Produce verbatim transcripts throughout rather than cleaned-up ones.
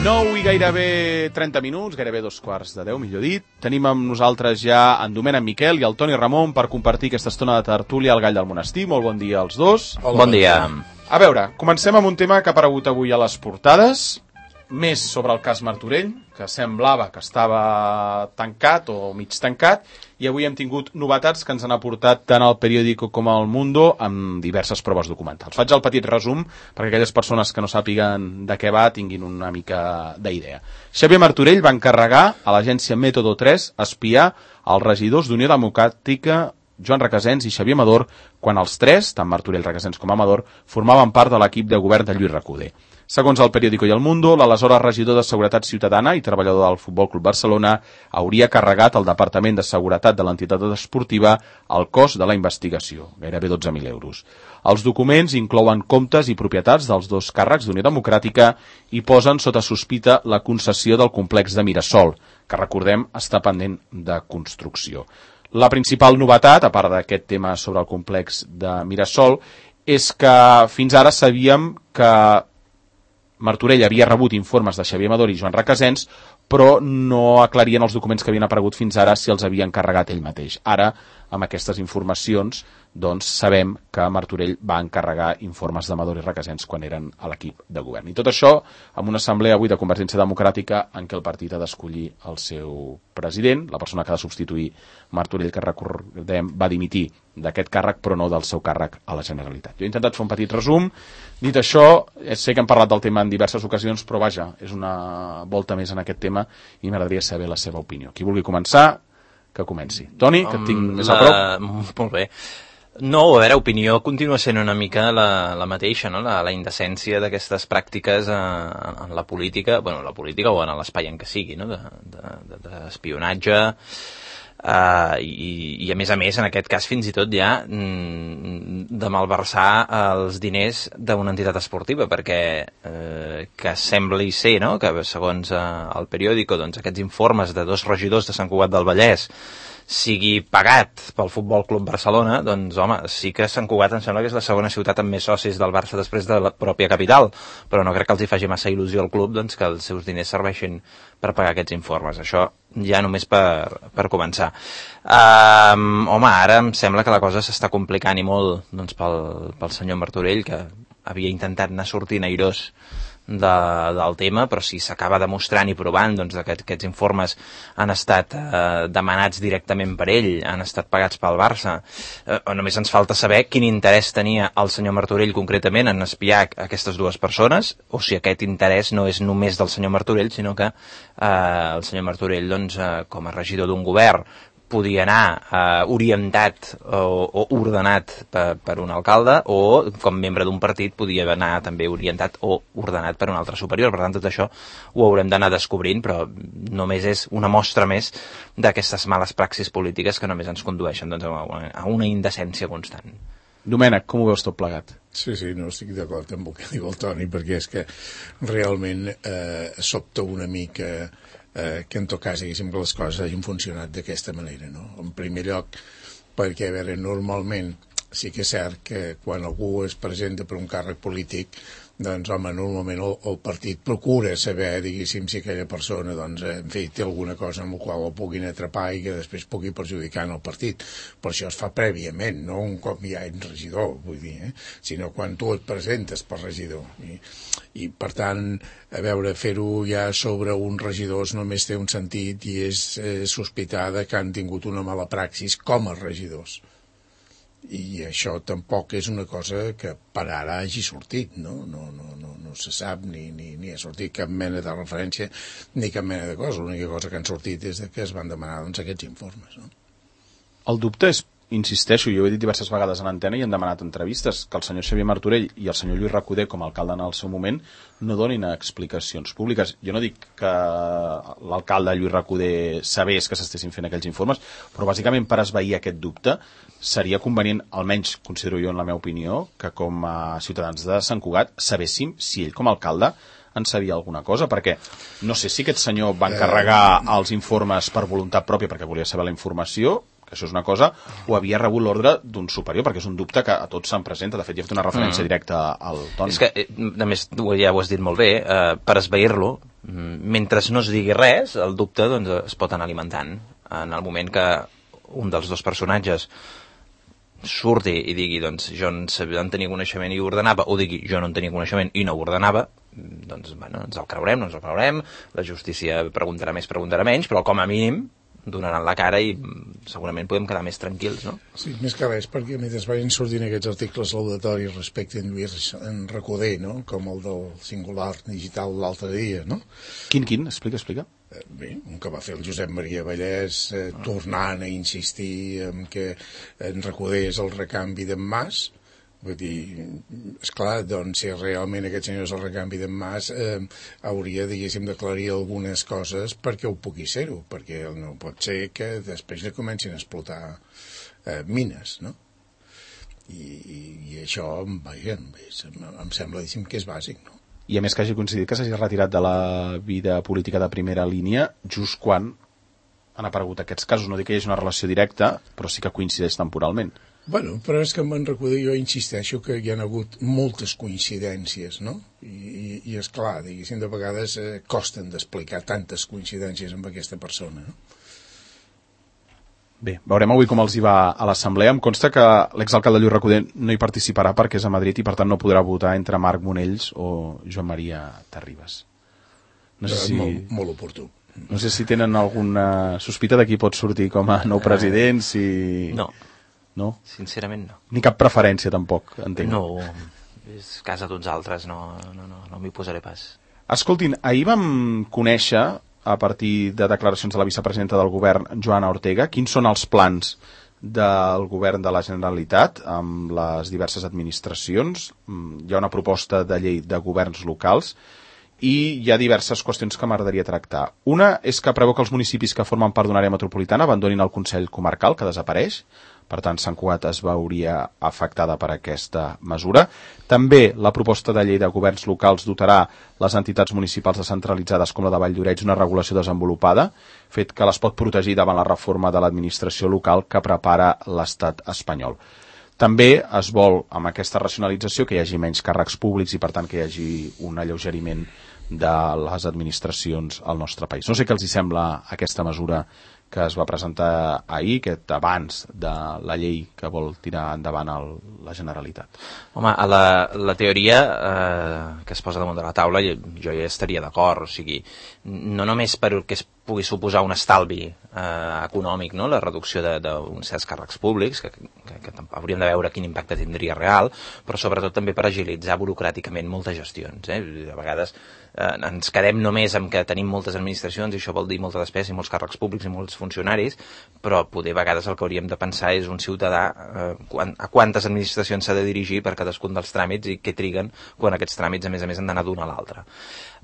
nou i gairebé trenta minuts, gairebé dos quarts de deu, millor dit. Tenim amb nosaltres ja en Domènec Miquel i el Toni Ramon per compartir aquesta estona de tertúlia al Gall del Monestir. Molt bon dia als dos. Hola, bon dia. A veure, comencem amb un tema que ha aparegut avui a les portades, més sobre el cas Martorell, que semblava que estava tancat o mig tancat, i avui hem tingut novetats que ens han aportat tant el Periódico com el Mundo amb diverses proves documentals. Faig el petit resum perquè aquelles persones que no sàpiguen de què va tinguin una mica d'idea. Xavier Martorell va encarregar a l'agència Método tres espiar els regidors d'Unió Democràtica Joan Requesens i Xavier Amador quan els tres, tant Martorell, Requesens com Amador, formaven part de l'equip de govern de Lluís Recoder. Segons el Periódico i el Mundo, l'aleshores regidor de Seguretat Ciutadana i treballador del Futbol Club Barcelona hauria carregat al Departament de Seguretat de l'entitat esportiva el cost de la investigació, gairebé dotze mil euros. Els documents inclouen comptes i propietats dels dos càrrecs d'Unió Democràtica i posen sota sospita la concessió del complex de Mirasol, que recordem està pendent de construcció. La principal novetat, a part d'aquest tema sobre el complex de Mirasol, és que fins ara sabíem que Martorell havia rebut informes de Xavier Amador i Joan Requesens, però no aclarien els documents que havien aparegut fins ara si els havia encarregat ell mateix. Ara, amb aquestes informacions, doncs sabem que Martorell va encarregar informes d'Amador i Requesens quan eren a l'equip de govern. I tot això amb una assemblea avui de Convergència Democràtica en què el partit ha d'escollir el seu president, la persona que ha de substituir Martorell, que recordem va dimitir d'aquest càrrec però no del seu càrrec a la Generalitat. Jo he intentat fer un petit resum. Dit això, sé que hem parlat del tema en diverses ocasions, però vaja, és una volta més en aquest tema i m'agradaria saber la seva opinió. Qui vulgui començar, que comenci. Toni, que et tinc més a prop. Molt bé. No, a veure, opinió continua sent una mica la, la mateixa, no? La, la indecència d'aquestes pràctiques a, en la política, bueno, la política o en l'espai en què sigui, no? D'espionatge, de, de, Uh, i, i a més a més en aquest cas fins i tot ja mm, de malversar els diners d'una entitat esportiva, perquè eh, que sembli ser, no?, que segons eh, el Periódico, doncs aquests informes de dos regidors de Sant Cugat del Vallès sigui pagat pel Futbol Club Barcelona, doncs home, sí que Sant Cugat em sembla que és la segona ciutat amb més socis del Barça després de la pròpia capital, però no crec que els hi faci massa il·lusió al club doncs, que els seus diners serveixin per pagar aquests informes. Això ja només per, per començar. Um, home, ara em sembla que la cosa s'està complicant i molt doncs, pel, pel senyor Martorell, que havia intentat anar sortint airós de, del tema, però si s'acaba demostrant i provant doncs, que aquests informes han estat eh, demanats directament per ell, han estat pagats pel Barça, eh, només ens falta saber quin interès tenia el senyor Martorell concretament en espiar aquestes dues persones, o si aquest interès no és només del senyor Martorell, sinó que eh, el senyor Martorell, doncs, eh, com a regidor d'un govern, podia anar eh, orientat o, o ordenat per, per un alcalde, o com membre d'un partit podia anar també orientat o ordenat per un altre superior. Per tant, tot això ho haurem d'anar descobrint, però només és una mostra més d'aquestes males praxis polítiques que només ens condueixen doncs, a, una, a una indecència constant. Domènec, com ho veus tot plegat? Sí, sí, no estic d'acord amb el que diu el Toni, perquè és que realment eh, sobta una mica eh, que en tot cas diguéssim que les coses hagin funcionat d'aquesta manera, no? En primer lloc, perquè a veure, normalment sí que és cert que quan algú es presenta per un càrrec polític, doncs home, normalment el, el partit procura saber, diguéssim, si aquella persona doncs, en fi, té alguna cosa amb la qual el puguin atrapar i que després pugui perjudicar en el partit. Per això es fa prèviament, no un cop ja ets regidor, vull dir, eh? Sinó quan tu et presentes per regidor. I, i per tant, a veure, fer-ho ja sobre uns regidors només té un sentit i és eh, sospitar que han tingut una mala praxis com a regidors. I això tampoc és una cosa que per ara hagi sortit, no? No, no, no, no se sap ni, ni, ni ha sortit cap mena de referència ni cap mena de cosa. L'única cosa que han sortit és que es van demanar doncs, aquests informes, no? El dubte és, insisteixo, jo ho he dit diverses vegades en antena i hem demanat entrevistes, que el senyor Xavier Martorell i el senyor Lluís Recoder, com a alcalde en el seu moment, no donin explicacions públiques. Jo no dic que l'alcalde Lluís Recoder sabés que s'estessin fent aquells informes, però bàsicament per esvair aquest dubte seria convenient, almenys considero jo en la meva opinió, que com a ciutadans de Sant Cugat sabéssim si ell com a alcalde en sabia alguna cosa, perquè no sé si aquest senyor va encarregar els informes per voluntat pròpia perquè volia saber la informació, que això és una cosa, o havia rebut l'ordre d'un superior, perquè és un dubte que a tots se'n presenta. De fet, hi ha fet una referència mm. directa al Toni. És que, a més, ja ho has dit molt bé, eh, per esvair-lo, mentre no es digui res, el dubte doncs, es pot anar alimentant. En el moment que un dels dos personatges surti i digui doncs, jo en tenia coneixement i ho ordenava, o digui jo no en tenia coneixement i no ho ordenava, doncs bueno, ens el creurem, no ens el creurem, la justícia preguntarà més, preguntarà menys, però com a mínim donaran la cara i segurament podem quedar més tranquils, no? Sí, més que res, perquè mentre vagin sortint aquests articles laudatoris respecte a en Lluís en Recoder, no? Com el del singular digital l'altre dia, no? Quin, quin? Explica, explica. Eh, bé, un que va fer el Josep Maria Vallès, eh, ah. tornant a insistir en que en Recoder és el recanvi d'en Mas. Vull dir, esclar, doncs si realment aquest senyor és el recanvi d'en Mas, eh, hauria, diguéssim, d'aclarir algunes coses perquè ho pugui ser-ho, perquè no pot ser que després li comencin a explotar eh, mines, no? I, i, i això, vaja, em, em sembla, diguéssim, que és bàsic, no? I a més que hagi coincidit que s'hagi retirat de la vida política de primera línia just quan han aparegut aquests casos. No dic que hi hagi una relació directa, però sí que coincideix temporalment. Bueno, però és que em van recordar, jo insisteixo que hi ha hagut moltes coincidències, no? I, i, i és clar, diguéssim, de vegades eh, costen d'explicar tantes coincidències amb aquesta persona, no? Bé, veurem avui com els hi va a l'assemblea. Em consta que l'exalcalde Lluís Recoder no hi participarà perquè és a Madrid i per tant no podrà votar entre Marc Monells o Joan Maria Terribas. No sé si... Molt, molt oportú. No sé si tenen alguna sospita de qui pot sortir com a nou president, si... No. No? Sincerament no. Ni cap preferència tampoc, entenc. No, és casa d'uns altres, no, no, no, no m'hi posaré pas. Escoltin, ahir vam conèixer, a partir de declaracions de la vicepresidenta del govern, Joana Ortega, quins són els plans del govern de la Generalitat amb les diverses administracions. Hi ha una proposta de llei de governs locals i hi ha diverses qüestions que m'agradaria tractar. Una és que preveu que els municipis que formen part d'una àrea metropolitana abandonin el Consell Comarcal, que desapareix. Per tant, Sant Cugat es veuria afectada per aquesta mesura. També la proposta de llei de governs locals dotarà les entitats municipals descentralitzades com la de Valldoreix una regulació desenvolupada, fet que les pot protegir davant la reforma de l'administració local que prepara l'estat espanyol. També es vol, amb aquesta racionalització, que hi hagi menys càrrecs públics i, per tant, que hi hagi un alleugeriment de les administracions al nostre país. No sé què els hi sembla aquesta mesura que es va presentar ahir, aquest abans de la llei que vol tirar endavant el, la Generalitat. Home, a la, la teoria eh, que es posa damunt de la taula jo, jo ja estaria d'acord, o sigui, no només perquè es pugui suposar un estalvi eh, econòmic, no? La reducció d'uns certs càrrecs públics, que, que, que hauríem de veure quin impacte tindria real, però sobretot també per agilitzar burocràticament moltes gestions. Eh? A vegades eh, ens quedem només amb que tenim moltes administracions i això vol dir molta despesa i molts càrrecs públics i molts funcionaris, però poder a vegades el que hauríem de pensar és un ciutadà eh, quan, a quantes administracions s'ha de dirigir per cadascun dels tràmits i què triguen quan aquests tràmits a més a més han d'anar d'una a l'altra.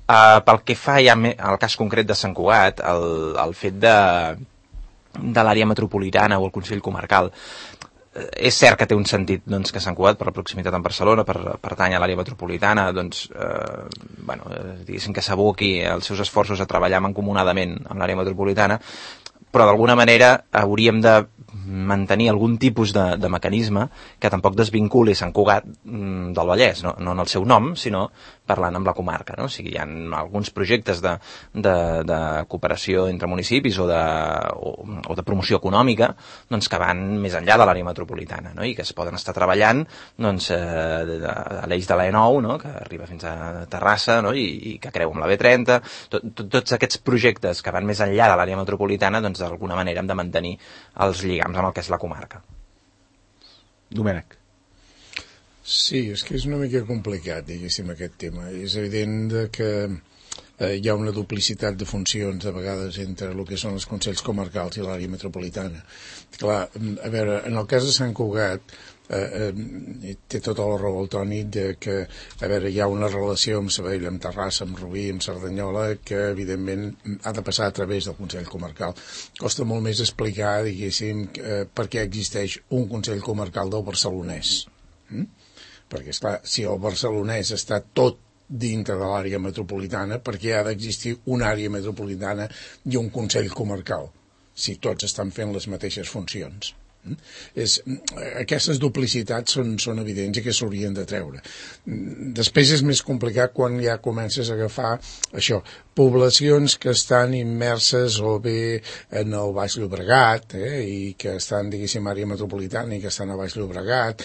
Uh, pel que fa ja al cas concret de Sant Cugat, el, el fet de, de l'àrea metropolitana o el Consell Comarcal, eh, és cert que té un sentit doncs, que Sant Cugat, per la proximitat amb Barcelona, per pertany a l'àrea metropolitana, doncs, eh, bueno, eh, diguéssim que s'aboqui els seus esforços a treballar mancomunadament amb l'àrea metropolitana, però d'alguna manera hauríem de mantenir algun tipus de, de mecanisme que tampoc desvinculi Sant Cugat mm, del Vallès, no, no en el seu nom, sinó parlant amb la comarca, no? O sigui, hi ha alguns projectes de, de, de cooperació entre municipis o de, o, o de promoció econòmica doncs, que van més enllà de l'àrea metropolitana, no? I que es poden estar treballant doncs, eh, a l'eix de l'E nou, no? Que arriba fins a Terrassa, no? I, i que creu amb la B trenta. Tot, tot, tots aquests projectes que van més enllà de l'àrea metropolitana doncs, d'alguna manera hem de mantenir els lligams amb el que és la comarca. Domènec. Sí, és que és una mica complicat, diguéssim, aquest tema. És evident que eh, hi ha una duplicitat de funcions, a vegades, entre el que són els consells comarcals i l'àrea metropolitana. Clar, a veure, en el cas de Sant Cugat, eh, eh, té tota la raó el Toni de que, a veure, hi ha una relació amb Sabadell, amb Terrassa, amb Rubí, amb Cerdanyola, que, evidentment, ha de passar a través del Consell Comarcal. Costa molt més explicar, diguéssim, eh, per què existeix un Consell Comarcal del barcelonès. Mm? Perquè, esclar, si el barcelonès està tot dintre de l'àrea metropolitana, perquè ha d'existir una àrea metropolitana i un Consell Comarcal. si tots estan fent les mateixes funcions. És, aquestes duplicitats són, són evidents i que s'haurien de treure. Després és més complicat quan ja comences a agafar això, poblacions que estan immerses o bé en el Baix Llobregat eh, i que estan, diguéssim, àrea metropolitana i que estan a Baix Llobregat.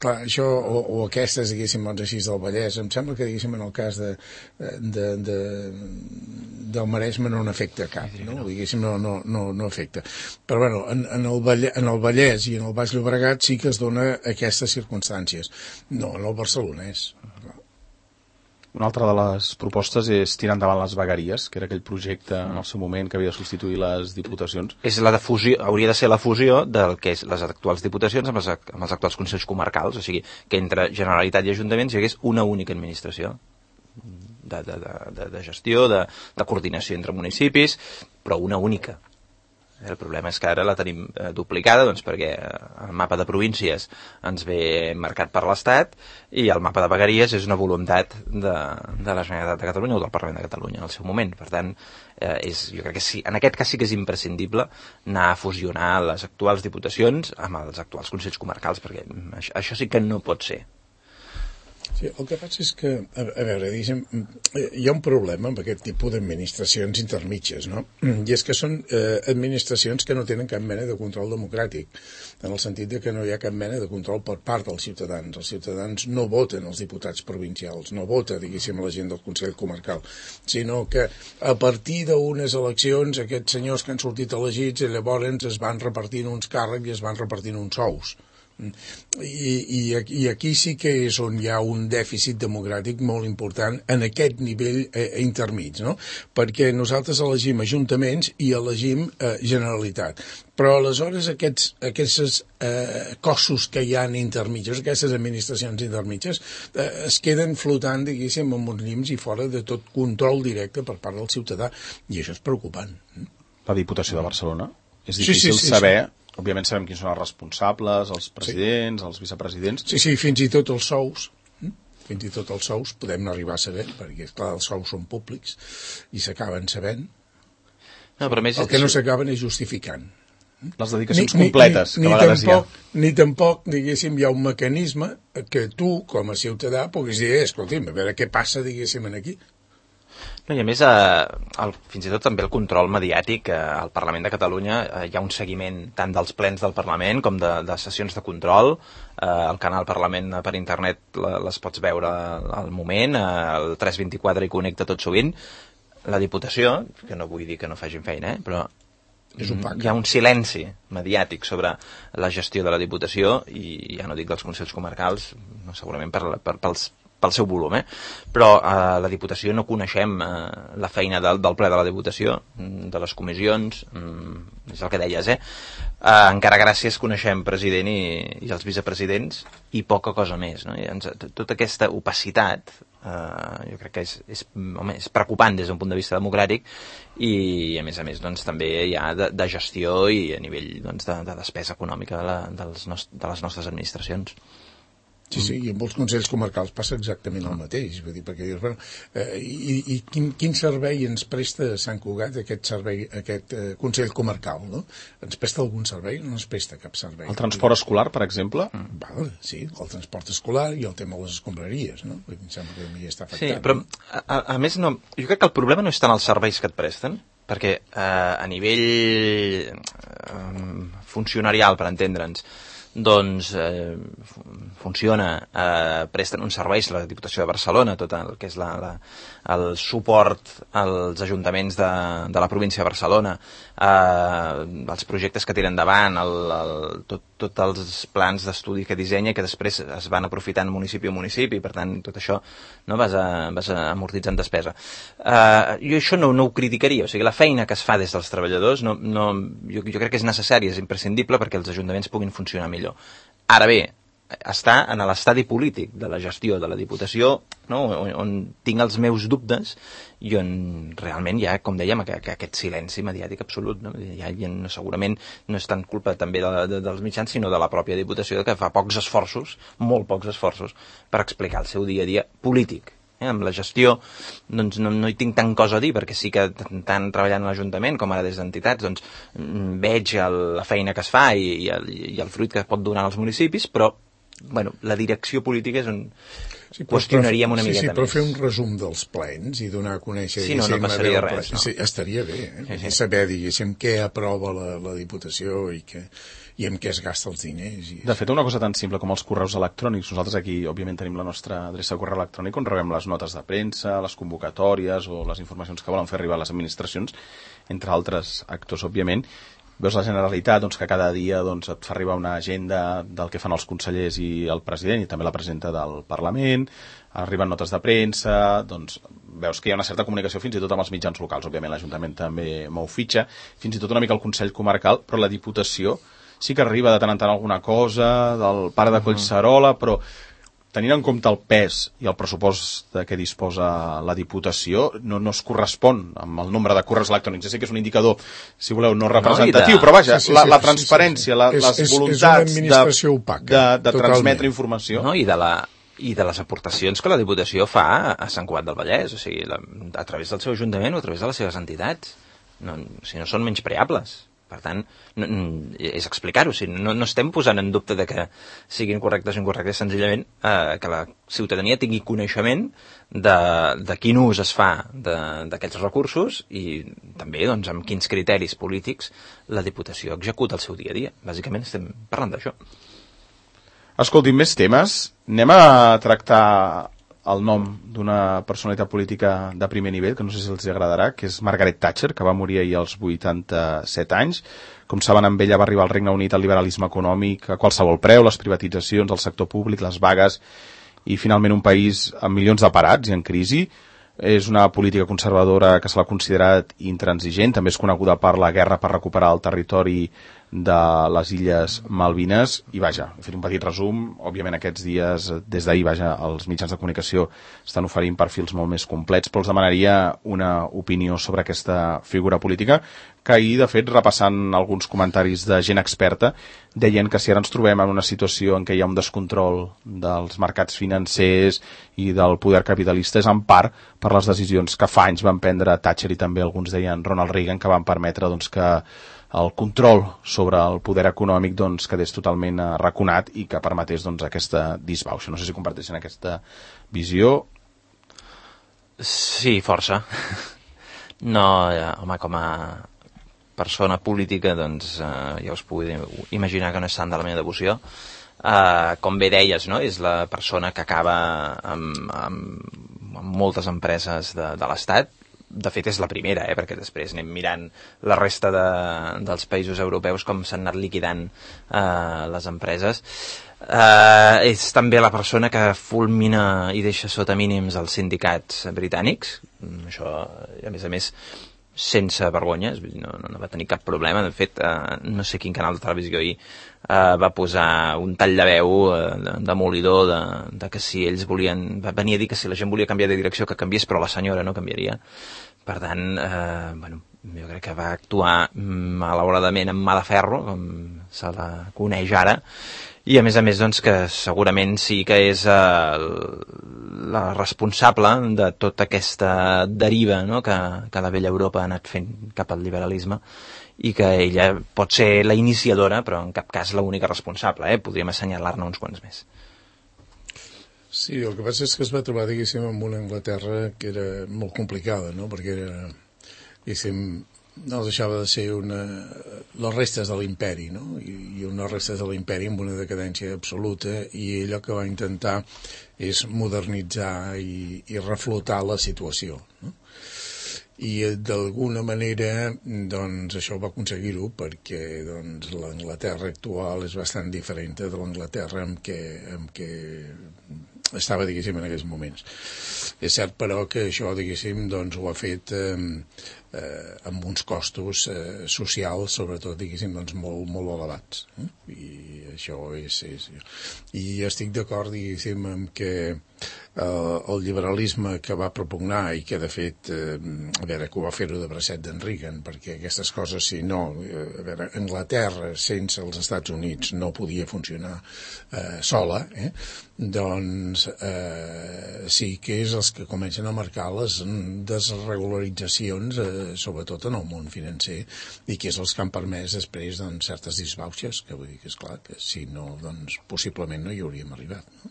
Clar, això, o, o aquestes, diguéssim, doncs així del Vallès, em sembla que, diguéssim, en el cas de, de, de, del Maresme no n'afecta cap, no? Diguéssim, no, no, no, no afecta. Però, bueno, en, en el Vallès, en el Vallès i en el Baix Llobregat sí que es dona aquestes circumstàncies. No, en el Barcelonès. Una altra de les propostes és tirar endavant les vegueries, que era aquell projecte en el seu moment que havia de substituir les diputacions. És la de fusió, hauria de ser la fusió del que és les actuals diputacions amb els, amb els actuals consells comarcals, o sigui, que entre Generalitat i Ajuntaments hi hagués una única administració de, de, de, de gestió, de, de coordinació entre municipis, però una única. El problema és que ara la tenim eh, duplicada, doncs perquè el mapa de províncies ens ve marcat per l'Estat i el mapa de vegueries és una voluntat de, de la Generalitat de Catalunya o del Parlament de Catalunya en el seu moment. Per tant, eh, és, jo crec que sí, en aquest cas sí que és imprescindible anar a fusionar les actuals diputacions amb els actuals consells comarcals, perquè això, això sí que no pot ser. Sí, el que passa és que, a, a veure, diguem, hi ha un problema amb aquest tipus d'administracions intermitges, no? I és que són eh, administracions que no tenen cap mena de control democràtic, en el sentit de que no hi ha cap mena de control per part dels ciutadans. Els ciutadans no voten els diputats provincials, no vota, diguéssim, la gent del Consell Comarcal, sinó que a partir d'unes eleccions aquests senyors que han sortit elegits i llavors es van repartint uns càrrecs i es van repartint uns sous. I, i, i aquí sí que és on hi ha un dèficit democràtic molt important en aquest nivell eh, intermig, no? Perquè nosaltres elegim ajuntaments i elegim eh, Generalitat, però aleshores aquests, aquests eh, cossos que hi ha intermitges, aquestes administracions intermitges eh, es queden flotant, diguéssim, amb uns llims i fora de tot control directe per part del ciutadà, i això és preocupant. La Diputació de Barcelona? És Sí, difícil sí, sí, saber... sí. Òbviament sabem quins són els responsables, els presidents, sí. els vicepresidents... Sí, sí, fins i tot els sous, fins i tot els sous podem arribar a saber, perquè, clar, els sous són públics i s'acaben sabent. No, però més... El que no s'acaben és justificant. Les dedicacions ni, completes, ni, ni, que a ni vegades tampoc, hi ha. Ni tampoc, diguéssim, hi ha un mecanisme que tu, com a ciutadà, puguis dir, eh, escolti'm, a veure què passa, diguéssim, aquí. No, i a més, eh, el, fins i tot també el control mediàtic eh, al Parlament de Catalunya, eh, hi ha un seguiment tant dels plens del Parlament com de, de sessions de control. Eh, el canal Parlament per internet la, les pots veure al moment, eh, el tres vint-i-quatre hi connecta tot sovint. La Diputació, que no vull dir que no facin feina, eh, però és opac. Hi ha un silenci mediàtic sobre la gestió de la Diputació i ja no dic dels Consells Comarcals, no, segurament per, per, pels pel seu volum, eh? Però a eh, la Diputació no coneixem eh, la feina del, del ple de la Diputació, de les comissions, mm, és el que deies, eh? eh? Encara gràcies coneixem president i, i els vicepresidents i poca cosa més, no? I ens, tota aquesta opacitat eh, jo crec que és, és, home, és preocupant des d'un punt de vista democràtic i a més a més doncs, també hi ha de, de gestió i a nivell doncs, de, de despesa econòmica de, la, dels nost de les nostres administracions. Sí, sí, i amb els consells comarcals passa exactament el mateix, vull dir, perquè dius, bueno, eh, i, i quin, quin servei ens presta Sant Cugat, aquest servei, aquest eh, consell comarcal, no? Ens presta algun servei? No ens presta cap servei. El transport escolar, per exemple? Mm. Val, sí, el transport escolar i el tema de les escombraries, no? Em sembla que a mi està afectant. Sí, però a, a més no, jo crec que el problema no és tant els serveis que et presten, perquè eh, a nivell eh, funcionarial, per entendre'ns, doncs eh, funciona, eh, presten uns serveis la Diputació de Barcelona, tot el que és la, la, el suport als ajuntaments de, de la província de Barcelona, eh, els projectes que tiren endavant, el, el, tot, tot els plans d'estudi que dissenya, que després es van aprofitant municipi a municipi, per tant, tot això no, vas, a, vas a amortitzant despesa. Eh, jo això no, no ho criticaria, o sigui, la feina que es fa des dels treballadors, no, no, jo, jo crec que és necessària, és imprescindible perquè els ajuntaments puguin funcionar millor. Ara bé, està en l'estadi polític de la gestió de la Diputació, no? on, on tinc els meus dubtes i on realment hi ha, com dèiem, aquest silenci mediàtic absolut. No? Hi ha, hi ha, segurament no és tant culpa també de, de, dels mitjans, sinó de la pròpia Diputació, que fa pocs esforços, molt pocs esforços, per explicar el seu dia a dia polític. Eh? Amb la gestió doncs no, no hi tinc tant cosa a dir, perquè sí que tant treballant a l'Ajuntament com ara des d'entitats doncs veig el, la feina que es fa i, i, el, i el fruit que pot donar als municipis, però bueno, la direcció política és un... Sí, qüestionaríem una sí, miqueta sí, però més. fer un resum dels plens i donar a conèixer... Sí, no, no passaria res, no. Sí, estaria bé, eh? Sí, sí. Saber, diguéssim, què aprova la, la Diputació i, què, i amb què es gasta els diners. I... De fet, una cosa tan simple com els correus electrònics. Nosaltres aquí, òbviament, tenim la nostra adreça de correu electrònic on rebem les notes de premsa, les convocatòries o les informacions que volen fer arribar a les administracions, entre altres actors, òbviament. Veus la Generalitat, doncs, que cada dia doncs, et fa arribar una agenda del que fan els consellers i el president, i també la presidenta del Parlament, arriben notes de premsa, doncs veus que hi ha una certa comunicació fins i tot amb els mitjans locals. Òbviament l'Ajuntament també mou fitxa, fins i tot una mica el Consell Comarcal, però la Diputació sí que arriba de tant en tant alguna cosa del pare de Collserola, però tenint en compte el pes i el pressupost de què disposa la Diputació, no, no es correspon amb el nombre de correus electrònics. Ja sé que és un indicador, si voleu, no representatiu, no, de... però vaja, sí, sí, la, la transparència, sí, sí, sí. La, les és, voluntats és de, opaca, de, de transmetre informació... No, i de la... i de les aportacions que la Diputació fa a Sant Cugat del Vallès, o sigui, la, a través del seu ajuntament o a través de les seves entitats. No, o sigui, no són menyspreables. Per tant, no, és explicar-ho. O sigui, no, no estem posant en dubte de que siguin correctes o incorrectes, senzillament eh, que la ciutadania tingui coneixement de, de quin ús es fa d'aquests recursos i també doncs, amb quins criteris polítics la Diputació executa el seu dia a dia. Bàsicament estem parlant d'això. Escoltin, més temes. Anem a tractar el nom d'una personalitat política de primer nivell, que no sé si els agradarà, que és Margaret Thatcher, que va morir ahir als vuitanta-set anys. Com saben, amb ella va arribar al Regne Unit el liberalisme econòmic a qualsevol preu, les privatitzacions, el sector públic, les vagues, i finalment un país amb milions de parats i en crisi. És una política conservadora que se l'ha considerat intransigent, també és coneguda per la guerra per recuperar el territori de les Illes Malvines, i vaja, he fet un petit resum. Òbviament aquests dies, des d'ahir, vaja, els mitjans de comunicació estan oferint perfils molt més complets, però els demanaria una opinió sobre aquesta figura política, que ahir, de fet, repassant alguns comentaris de gent experta, deien que si ara ens trobem en una situació en què hi ha un descontrol dels mercats financers i del poder capitalista és en part per les decisions que fa anys van prendre Thatcher i també alguns deien Ronald Reagan, que van permetre doncs, que el control sobre el poder econòmic doncs, quedés totalment arraconat i que permetés doncs, aquesta disbauxa. No sé si comparteixen aquesta visió. Sí, força. No, home, com a persona política, doncs eh, ja us puc imaginar que no és tant de la meva devoció. Eh, com bé deies, no? És la persona que acaba amb, amb, amb moltes empreses de, de l'Estat. De fet, és la primera, eh? Perquè després anem mirant la resta de, dels països europeus com s'han anat liquidant eh, les empreses. Eh, és també la persona que fulmina i deixa sota mínims els sindicats britànics. Això, a més a més, sense vergonya, no, no va tenir cap problema. De fet, eh, no sé quin canal de televisió ahir eh, va posar un tall de veu eh, demolidor de, de que si ells volien, va venir a dir que si la gent volia canviar de direcció que canviés, però la senyora no canviaria. Per tant, eh, bueno, jo crec que va actuar malauradament amb mà de ferro, com se la coneix ara, i a més a més doncs, que segurament sí que és eh, la responsable de tota aquesta deriva, no?, que, que la vella Europa ha anat fent cap al liberalisme, i que ella pot ser la iniciadora, però en cap cas l'única responsable, eh? Podríem assenyalar-ne uns quants més. Sí, el que passa és que es va trobar, diguéssim, amb una Anglaterra que era molt complicada, no?, perquè era, diguéssim, no deixava de ser una, les restes de l'imperi, no?, i, i unes restes de l'imperi amb una decadència absoluta, i allò que va intentar és modernitzar i, i reflotar la situació, no? I d'alguna manera doncs això va aconseguir-ho, perquè doncs l'Anglaterra actual és bastant diferent de l'Anglaterra amb què, amb què estava, diguéssim, en aquells moments. És cert, però, que això, diguéssim, doncs ho ha fet eh, eh, amb uns costos eh, socials, sobretot, diguéssim, doncs molt, molt elevats. Eh? I això és, és... I estic d'acord, diguéssim, amb que el, el liberalisme que va propugnar i que de fet, eh, a veure, que ho va fer-ho de bracet d'en Reagan, perquè aquestes coses, si no, eh, a veure, Anglaterra sense els Estats Units no podia funcionar eh, sola, eh? Doncs eh, sí que és els que comencen a marcar les desregularitzacions, eh, sobretot en el món financer, i que és els que han permès després doncs, certes disbauxes, que vull dir que és clar que si no, doncs possiblement no hi hauríem arribat, no?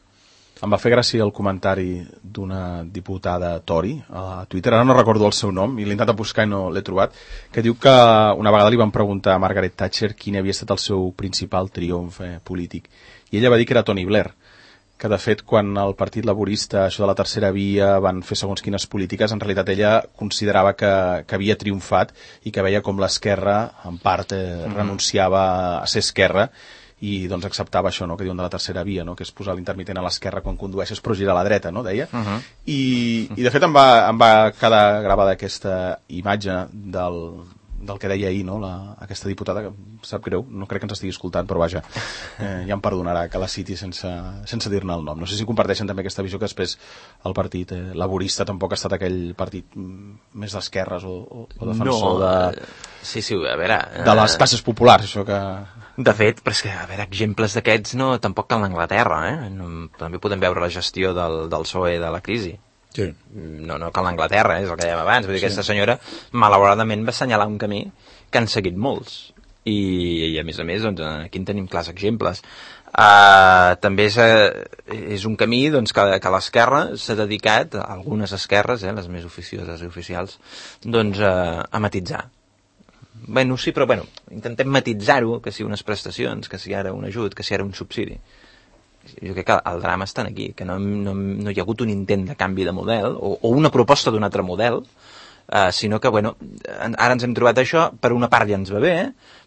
Em va fer gràcia el comentari d'una diputada Tory a Twitter, ara no recordo el seu nom i l'he intentat buscar i no l'he trobat, que diu que una vegada li van preguntar a Margaret Thatcher quin havia estat el seu principal triomf eh, polític, i ella va dir que era Tony Blair, que de fet quan el Partit Laborista, això de la tercera via, van fer segons quines polítiques, en realitat ella considerava que, que havia triomfat i que veia com l'esquerra en part eh, mm-hmm. renunciava a ser esquerra i doncs acceptava això, no?, que diuen de la tercera via, no?, que és posar l'intermitent a l'esquerra quan condueixes però girar a la dreta, no?, deia. Uh-huh. I, I de fet em va, em va quedar gravada aquesta imatge del, del que deia ahir, no?, la, aquesta diputada, que sap greu, no crec que ens estigui escoltant, però vaja, eh, ja em perdonarà que la citi sense, sense dir-ne el nom. No sé si comparteixen també aquesta visió que després el partit eh, laborista tampoc ha estat aquell partit més d'esquerres o, o, o defensor no, de... Sí, sí, a veure... De les classes populars, això que... De fet, però és que, a veure, exemples d'aquests no, tampoc cal l'Anglaterra, eh? No, també podem veure la gestió del, del P S O E de la crisi. Sí. No, no cal l'Anglaterra, eh? És el que dèiem abans. Vull dir, sí. Aquesta senyora, malauradament, va assenyalar un camí que han seguit molts. I, i a més a més, doncs, aquí en tenim clars exemples. Uh, també és, uh, és un camí doncs, que, que l'esquerra s'ha dedicat, algunes esquerres, eh, les més oficioses i oficials, doncs, uh, a matitzar. Bueno, sí, però bueno, intentem matitzar-ho, que si unes prestacions, que si ara un ajut, que si ara un subsidi. Jo crec que el drama està aquí, que no, no, no hi ha hagut un intent de canvi de model, o, o una proposta d'un altre model, eh, sinó que, bueno, ara ens hem trobat això, per una part ja ens va bé,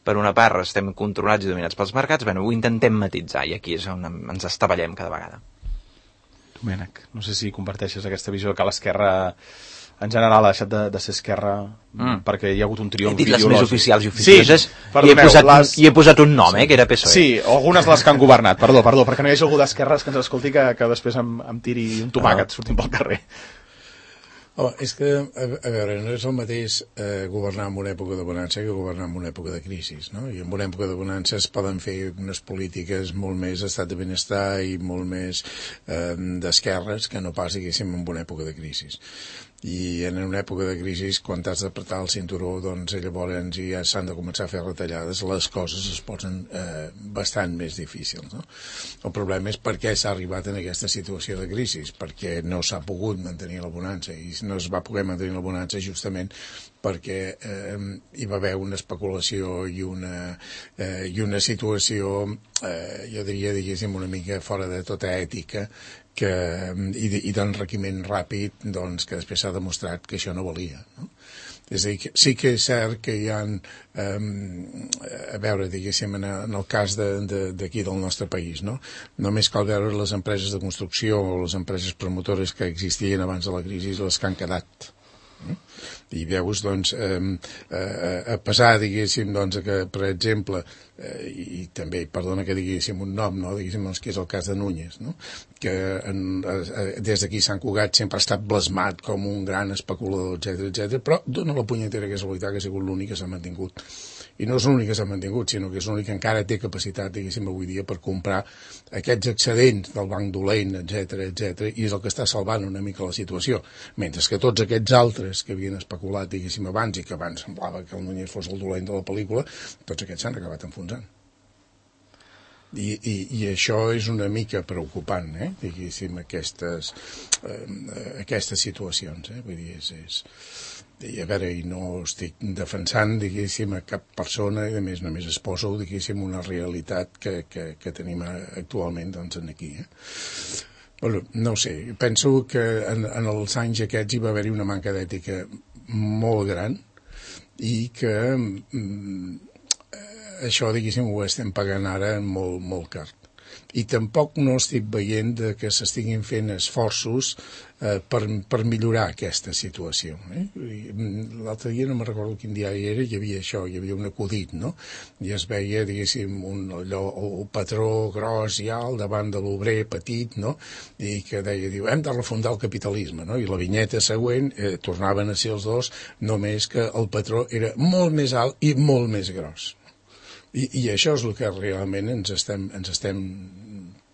per una part estem controlats i dominats pels mercats, bueno, ho intentem matitzar, i aquí és on ens estavellem cada vegada. Domènec, no sé si comparteixes aquesta visió que l'esquerra en general ha deixat de, de ser esquerra mm. perquè hi ha hagut un triomf ideològic. He dit les ideològic. més oficials i oficioses, sí, perdoneu, i, he posat, les... i he posat un nom, eh, que era P S O E. Sí, algunes les que han governat, perdó, perdó, perquè no hi hagi algú d'esquerres que ens escolti que, que després em, em tiri un tomàquet ah. sortint pel carrer. Oh, és que, a, a veure, no és el mateix eh, governar en una època de bonança que governar en una època de crisi, no? I en una època de bonança es poden fer unes polítiques molt més d'estat de benestar i molt més eh, d'esquerres que no pas, diguéssim, en una època de crisi. I en una època de crisi, quan t'has d'apretar el cinturó, doncs llavors ja s'han de començar a fer retallades, les coses es posen eh, bastant més difícils, no? El problema és per què s'ha arribat en aquesta situació de crisi, perquè no s'ha pogut mantenir la bonança, i no es va poder mantenir la bonança justament perquè eh, hi va haver una especulació i una, eh, i una situació, eh, jo diria, diguéssim, una mica fora de tota ètica, que, i, i d'enriquiment ràpid, doncs, que després s'ha demostrat que això no valia, no? És a dir, que sí que és cert que hi ha, eh, a veure, diguéssim, en, en el cas d'aquí de, de, del nostre país, no? Només cal veure les empreses de construcció o les empreses promotores que existien abans de la crisi, les que han quedat. I veus, doncs, eh, eh, a pesar, diguéssim, doncs, que, per exemple, eh, i també, perdona que diguéssim un nom, no? Diguéssim, doncs, que és el cas de Núñez, no? Que en, eh, des d'aquí Sant Cugat sempre ha estat blasmat com un gran especulador, etcètera, etcètera, però dona la punyetera casualitat que ha sigut l'únic que s'ha mantingut. I no és l'únic que s'ha mantingut, sinó que és l'únic que encara té capacitat, diguéssim, avui dia per comprar aquests excedents del banc dolent, etcètera, etcètera, i és el que està salvant una mica la situació. Mentre que tots aquests altres que havien especulat, diguéssim, abans, i que abans semblava que el Núñez fos el dolent de la pel·lícula, tots aquests s'han acabat enfonsant. I, i, i això és una mica preocupant, eh? Diguéssim, aquestes, eh, aquestes situacions, eh? Vull dir, és... és i a veure, i no estic defensant, diguéssim, a cap persona, i a més només es posa, diguéssim, una realitat que, que, que tenim actualment, doncs, aquí, eh? Bueno, no ho sé, penso que en, en els anys aquests hi va haver-hi una manca d'ètica molt gran i que mm, això, diguéssim, ho estem pagant ara molt, molt car. I tampoc no estic veient de que s'estiguin fent esforços eh, per, per millorar aquesta situació. Eh? L'altre dia, no me recordo quin diari era, hi havia això, hi havia un acudit, no? I es veia, diguéssim, un, allò, el patró gros i alt davant de l'obrer petit, no? I que deia, diu, hem de refundar el capitalisme, no? I la vinyeta següent eh, tornaven a ser els dos, només que el patró era molt més alt i molt més gros. I, i això és el que realment ens estem, ens estem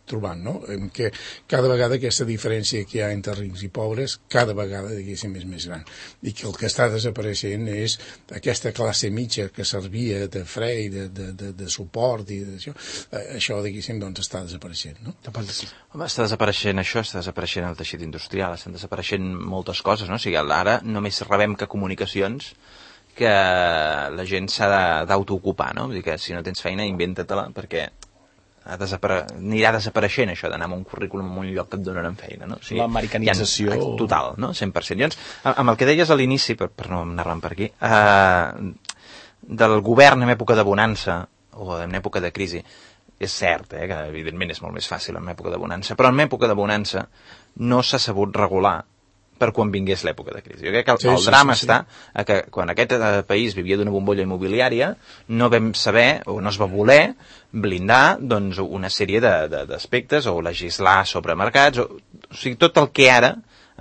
trobant, no? En què cada vegada aquesta diferència que hi ha entre rics i pobres, cada vegada, diguéssim, és més gran. I que el que està desapareixent és aquesta classe mitja que servia de fre i de, de, de, de suport i d'això. Això, diguéssim, doncs està desapareixent, no? Home, està desapareixent això, està desapareixent el teixit industrial, estan desapareixent moltes coses, no? O sigui, ara només rebem que comunicacions que la gent s'ha d'autoocupar, no? Vull dir que si no tens feina, inventa-te-la, perquè ha desapare... anirà desapareixent això d'anar amb un currículum en un lloc que et donaran feina, no? O sigui, l'americanització... Ha... Total, no? cent per cent. Llavors, amb el que deies a l'inici, per, per no anar-me'n per aquí, eh, del govern en època de bonança, o en època de crisi, és cert, eh, que evidentment és molt més fàcil en època de bonança, però en època de bonança no s'ha sabut regular per quan vingués l'època de crisi. Jo crec que el, sí, el drama sí, sí, sí. està a que quan aquest eh, país vivia d'una bombolla immobiliària no vam saber o no es va voler blindar doncs, una sèrie d'aspectes o legislar sobre mercats, o, o sigui, tot el que ara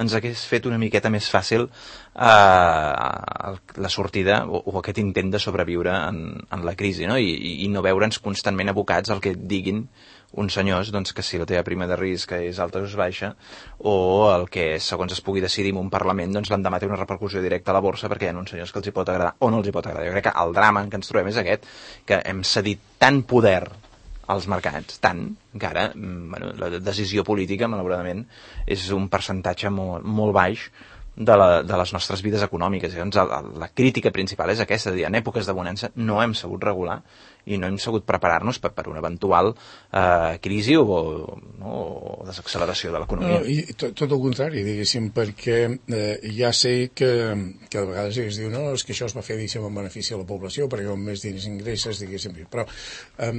ens hagués fet una miqueta més fàcil eh, la sortida o, o aquest intent de sobreviure en, en la crisi, no? I, i no veure'ns constantment abocats al que diguin uns senyors doncs, que si la teva prima de risc és alta o és baixa, o el que segons es pugui decidir en un Parlament doncs l'endemà té una repercussió directa a la borsa perquè hi ha uns senyors que els hi pot agradar o no els hi pot agradar. Jo crec que el drama en què ens trobem és aquest, que hem cedit tant poder als mercats, tant, que ara bueno, la decisió política, malauradament, és un percentatge molt, molt baix de, la, de les nostres vides econòmiques. Llavors, la, la crítica principal és aquesta, de dir, en èpoques de bonança no hem sabut regular i no hem sabut preparar-nos per, per una eventual eh, crisi o, no, o desacceleració de l'economia. No, i tot, tot el contrari, diguéssim, perquè eh, ja sé que, que a vegades es diu no, és que això es va fer, diguéssim, en benefici a la població, perquè com més diners ingresses, diguéssim, però eh,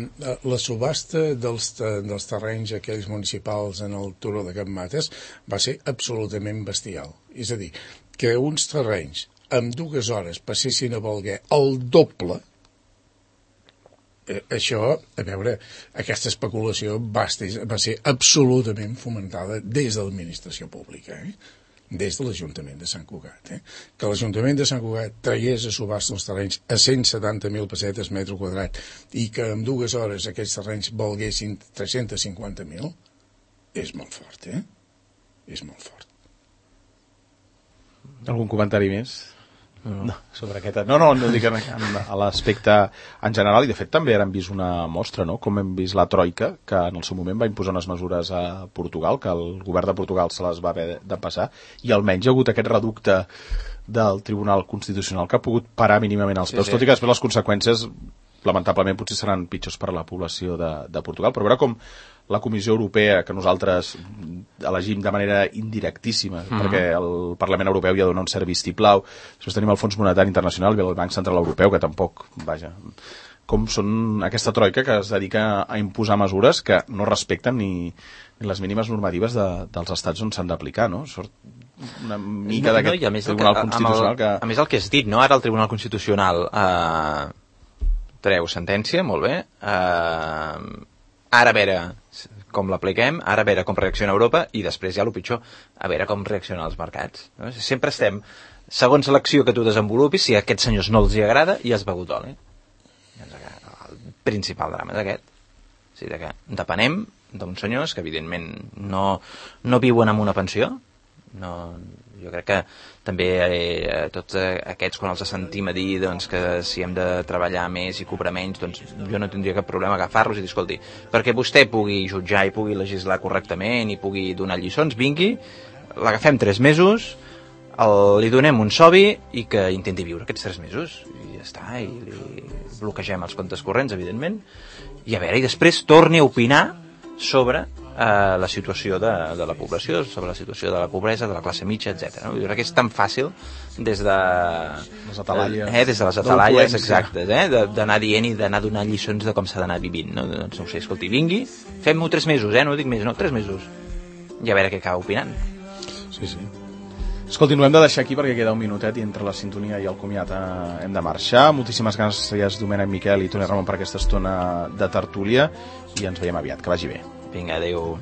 la subhasta dels, dels terrenys aquells municipals en el Turó de Can Mates va ser absolutament bestial. És a dir, que uns terrenys en dues hores passessin a valer el doble. Això, a veure, aquesta especulació va, va ser absolutament fomentada des de l'administració pública, eh? Des de l'Ajuntament de Sant Cugat. Eh? Que l'Ajuntament de Sant Cugat traiés a subhasta els terrenys a cent setanta mil pessetes metre quadrat i que en dues hores aquests terrenys valguessin tres-cents cinquanta mil, és molt fort, eh? És molt fort. Algun comentari més? No, sobre aquest... No, no, no dic a l'aspecte en general, i de fet també hem vist una mostra, no? Com hem vist la Troika, que en el seu moment va imposar unes mesures a Portugal, que el govern de Portugal se les va haver de passar, i almenys hi ha hagut aquest reducte del Tribunal Constitucional que ha pogut parar mínimament els peus, sí, sí. Tot i que després les conseqüències lamentablement potser seran pitjors per a la població de, de Portugal, però veure com la Comissió Europea, que nosaltres elegim de manera indirectíssima, mm-hmm. perquè el Parlament Europeu ja dona un cert vistiplau, després tenim el Fons Monetari Internacional i el Banc Central Europeu, que tampoc, vaja, com són aquesta troika que es dedica a imposar mesures que no respecten ni, ni les mínimes normatives de, dels estats on s'han d'aplicar, no? Sort una mica no, d'aquest no, Tribunal que, Constitucional el, que... A més el que has dit, no? Ara el Tribunal Constitucional eh, treu sentència, molt bé, eh, ara a veure com l'apliquem, ara a veure com reacciona Europa i després ja el pitjor, a veure com reaccionen els mercats. No? Sempre estem, segons l'acció que tu desenvolupis, si a aquests senyors no els hi agrada, ja has begut oli. El principal drama és aquest. O sigui, que depenem d'uns senyors que evidentment no, no viuen amb una pensió. No, jo crec que també eh, tots aquests quan els sentim a dir doncs, que si hem de treballar més i cobrar menys, doncs jo no tindria cap problema agafar-los i dir, escolti, perquè vostè pugui jutjar i pugui legislar correctament i pugui donar lliçons, vingui, l'agafem tres mesos, el, li donem un sobi i que intenti viure aquests tres mesos i ja està, i li bloquegem els comptes corrents, evidentment, i a veure, i després torni a opinar sobre eh, la situació de, de la població, sobre la situació de la pobresa, de la classe mitja, etcètera. No? Jo crec que és tan fàcil des de les atalaies, eh, des de les atalaies exactes, eh, d'anar dient i d'anar donant lliçons de com s'ha d'anar vivint, no? Doncs no ho sé, escolti, vingui, fem-ho tres mesos, eh, no dic més, no, tres mesos, i a veure què acaba opinant. Sí, sí. Escolti, no hem de deixar aquí perquè queda un minutet i entre la sintonia i el comiat eh, hem de marxar. Moltíssimes gràcies, Domènec, Miquel i Toni Ramon, per aquesta estona de tertúlia i ens veiem aviat. Que vagi bé. Vinga, adéu.